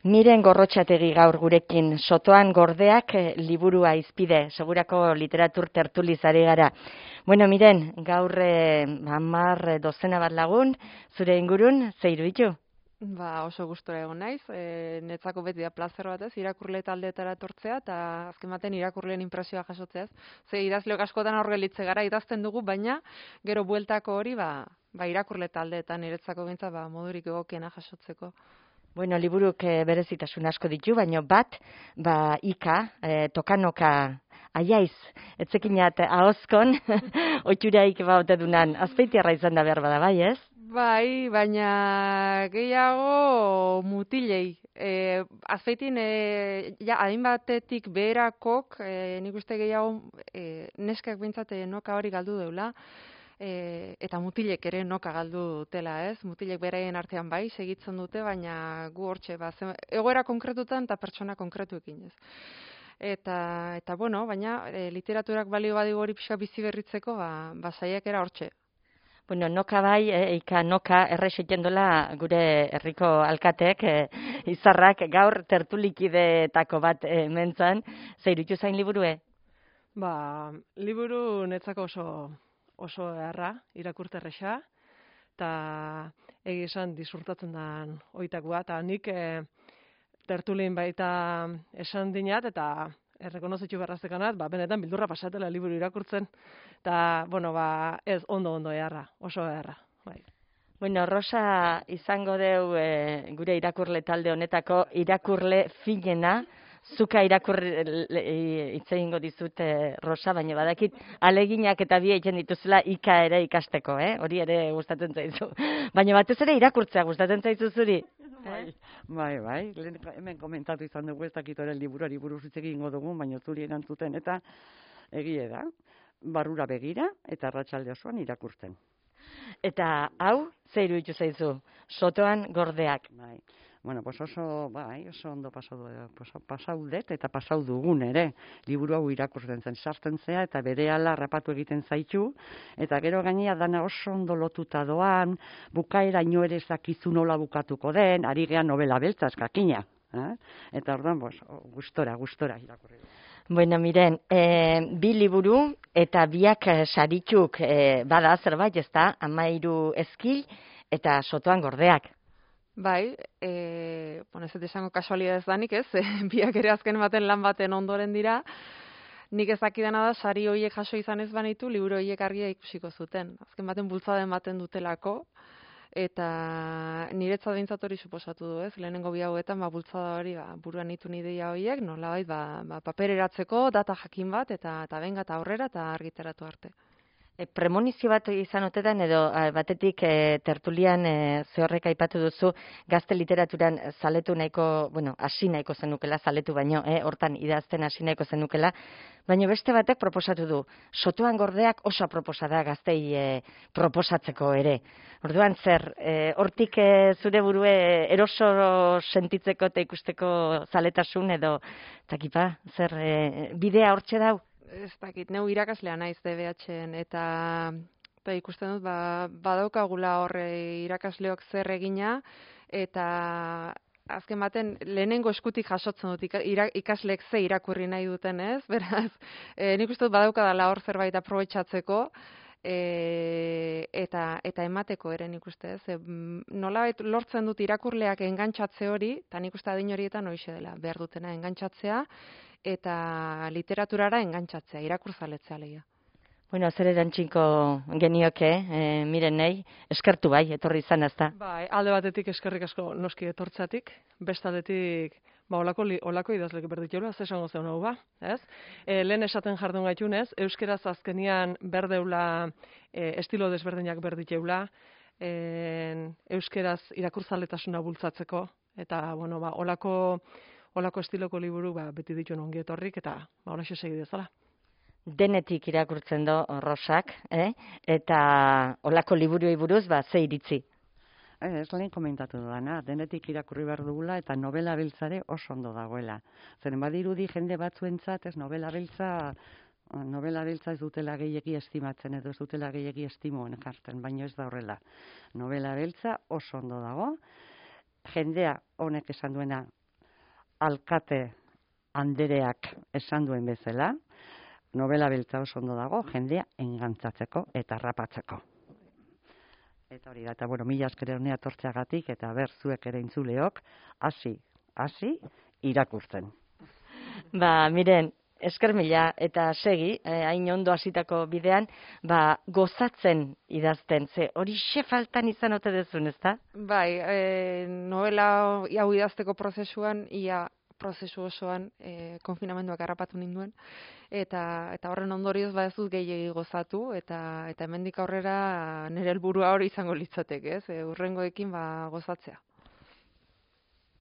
Miren Gorrotxategi gaur gurekin, Sotoan gordeak liburua izpide, segurako literatur tertuliz ari gara. Bueno, Miren, gaur 10 dozena bat lagun, zure ingurun, ze iruditu? Oso gustora egon naiz, netzako beti da plazer batez, irakurle taldeetara etortzea, eta azken baten irakurleen inpresioa jasotzeaz. Ze idazleok askotan aur gelitze gara, idazten dugu, baina gero bueltako hori, irakurle taldeetan niretzako behintzat, modurik egokiena jasotzeko. Bueno, liburuk berezitasun asko ditu, baina bat, ika, tokanoka, aiaiz, etzekinat ahozkon, oituraik baute dunan, azpeitiarra izan da behar bada, bai, ez? Bai, baina gehiago mutilei. Azpeitin, hainbatetik beherakok, nik uste gehiago neskak bintzat noka hori galdu deula, eta mutilek ere noka galdu dutela, ez? Mutilek beraien artean bai, segitzen dute, baina gu hortxe, egoera konkretutan eta pertsona konkretuekin, ez? Eta bueno, baina literaturak balio badigu hori pixka bizi berritzeko, saiakera hortxe. Bueno, noka bai, ika noka errexeten dola gure herriko alkatek, izarrak gaur tertulikideetako bat mentzan, zeirutu zain liburue? Liburu netzako oso erra, irakurterresa, eta esan disfrutatzen den oitakoa, eta nik tertulin baita esan dinat, eta errekonozitu berraztekanat, benetan bildurra pasatela liburu irakurtzen, eta, ez ondo eharra, oso eharra, bai. Bueno, Rosa izango deu gure irakurle talde honetako irakurle finena, zuka hitz egingo dizut, Rosa, baina badakit aleginak eta bi egiten dituzela ika ere ikasteko, hori ere gustatzen zaizu. Baina batez ere irakurtzea gustatzen zaizu zuri. Bai, hemen komentatu izan dugu ez dakitoren liburuari buruz hitz egingo dugu, baina zuri erantzuten eta egie da, barrura begira eta arratsalde osoan irakurtzen. Eta hau, ze iruditu zaizu? Sotoan gordeak. Bai. Bueno, oso ondo pasau dut eta pasau dugun ere. Liburu hau irakurtzen zen, sartzen zea eta berehala harrapatu egiten zaitu, eta gero gainea dana oso ondo lotuta doan, bukaeraino ere ez dakizu nola bukatuko den, ari gea novela beltza eskakina. Eta orduan, gustora irakurri. Bueno, Miren, bi liburu eta biak saritzuk bada zerbait, ezta? 13 ezkil eta Sotoan gordeak. Bai, ez dut esango kasualidadez danik, ez? Biak ere azken baten lan baten ondoren dira. Nik ez dakidana da, sari horiek jaso izan ez banitu, liburu horiek argia ikusiko zuten. Azken baten bultzaden baten dutelako, eta niretzat behintzat hori suposatu du, ez? Lehenengo bi hauetan, bultzada hori, buruan itun ideia horiek, nolabait, papereratzeko, data jakin bat, eta benga eta aurrera, eta argitaratu arte. Premonizio bat izan otetan, edo batetik tertulian zehorrek aipatu duzu, gazte literaturan zaletu nahiko, hasi nahiko zenukela, zaletu baino, hortan idazten hasi nahiko zenukela, baina beste batek proposatu du, Sotoan gordeak oso proposada gaztei proposatzeko ere. Orduan zer, hortik zure burue eroso sentitzeko eta ikusteko zaletasun edo, takipa, zer, bidea hortxe dau? Ez dakit, neu irakaslea naiz DBH-en, eta ikusten dut, badaukagula horre irakasleok zer egina, eta azken baten lehenengo eskutik jasotzen dut ikasleek ze irakurri nahi duten, ez? Beraz, nik uste dut badaukadala hor zerbait aprobetxatzeko, eta emateko ere nik uste, ez? Nolabait lortzen dut irakurleak engantxatze hori, eta nik uste adin horietan hoixe dela, behar dutena engantxatzea, eta literaturara engantxatzea, irakurzaletzea lehia. Bueno, zer erantxinko genioke, Miren nahi, eskertu bai, etorri izan ezta. Bai, alde batetik eskerrik asko noski etortzatik, bestaldetik olako idazlek berditxeula, ez esango zeun hau ez? Lehen esaten jardun gaitunez, euskeraz azkenian berdeula estilo desberdinak berditxeula, euskeraz irakurzaletasuna bultzatzeko, eta, olako estiloko liburu beti dituen ongi etorrik, eta holaxe segi dezala. Denetik irakurtzen do Rosak, eta olako liburuei buruz, ze iritzi? Ez lehen komentatu dudana, denetik irakurri behar dugula eta novela beltzare oso ondo dagoela. Zeren badirudi jende batzuentzat, novela beltza ez dutela gehiegi estimatzen edo ez dutela gehiegi estimoen jartzen, baina ez da horrela. Novela beltza oso ondo dago, jendea honek esan duena, alkate andereak esan duen bezala, novela beltza oso ondo dago, jendea engantzatzeko eta harrapatzeko. Eta hori da, eta bueno, mila esker honea tortzeagatik, eta ber zuek ere intzuleok, hasi irakurtzen. Ba, miren, esker mila eta segi, hain ondo hasitako bidean, gozatzen idazten, ze hori faltan izan ote dezun, ezta? Bai, novela hau idazteko prozesuan, ia prozesu osoan konfinamenduak harrapatu ninduen, eta horren ondorioz ez dut gehiegi gozatu, eta hemendik aurrera nire helburua hori izango litzateke, ez? Hurrengoekin gozatzea.